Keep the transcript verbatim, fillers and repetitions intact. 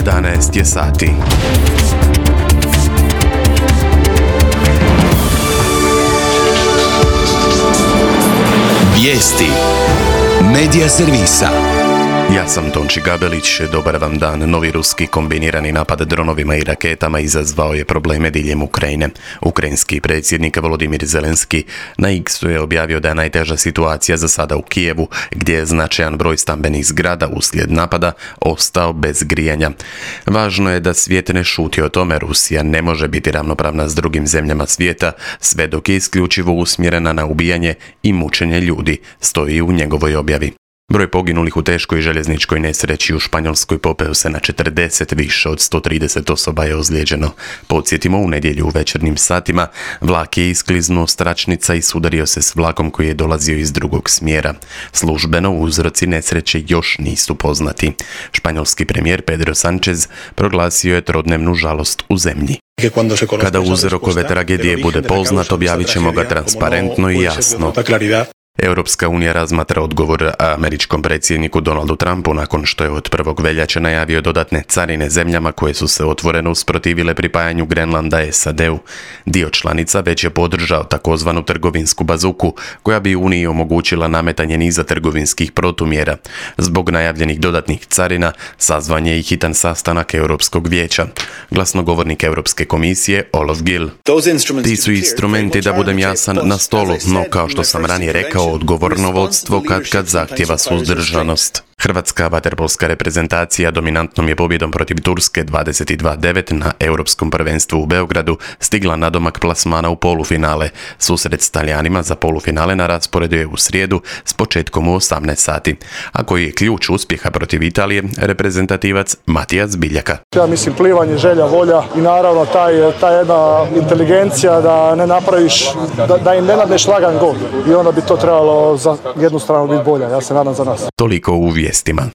jedanaest je sati. Vijesti Medija servisa. Ja sam Tonči Gabelić, dobar vam dan. Novi ruski kombinirani napad dronovima i raketama izazvao je probleme diljem Ukrajine. Ukrajinski predsjednik Volodimir Zelenski na X-u je objavio da je najteža situacija za sada u Kijevu, gdje je značajan broj stambenih zgrada uslijed napada ostao bez grijanja. Važno je da svijet ne šuti o tome, Rusija ne može biti ravnopravna s drugim zemljama svijeta, sve dok je isključivo usmjerena na ubijanje i mučenje ljudi, stoji u njegovoj objavi. Broj poginulih u teškoj željezničkoj nesreći u Španjolskoj popeo se na četrdeset, više od sto trideset osoba je ozlijeđeno. Podsjetimo, u nedjelju u večernjim satima vlak je iskliznuo s tračnica i sudario se s vlakom koji je dolazio iz drugog smjera. Službeno uzroci nesreće još nisu poznati. Španjolski premijer Pedro Sánchez proglasio je trodnevnu žalost u zemlji. Kada uzrok ove tragedije bude poznat, objavit ćemo ga transparentno i jasno. Europska unija razmatra odgovor američkom predsjedniku Donaldu Trumpu nakon što je od prvog veljače najavio dodatne carine zemljama koje su se otvoreno usprotivile pripajanju Grenlanda S A D-u. Dio članica već je podržao takozvanu trgovinsku bazuku, koja bi Uniji omogućila nametanje niza trgovinskih protumjera. Zbog najavljenih dodatnih carina sazvan je i hitan sastanak Europskog vijeća. Glasnogovornik Europske komisije Olof Gill: Ti su instrumenti, da budem jasan, na stolu, no kao što sam ranije rekao, odgovorno vodstvo kad kad zahtjeva suzdržanost. Hrvatska vaterpolska reprezentacija dominantnom je pobjedom protiv Turske dvadeset dva devet na Europskom prvenstvu u Beogradu stigla nadomak plasmana u polufinale. Susret s Talijanima za polufinale na rasporedu je u srijedu s početkom u osamnaest sati. A koji je ključ uspjeha protiv Italije, reprezentativac Matijas Biljaka. Ja mislim plivanje, želja, volja i naravno taj, ta jedna inteligencija da ne napraviš, da, da im ne nadneš lagan gol. I onda bi to trebalo za jednu stranu biti bolja. Ja se nadam za nas. Toliko u vijestima.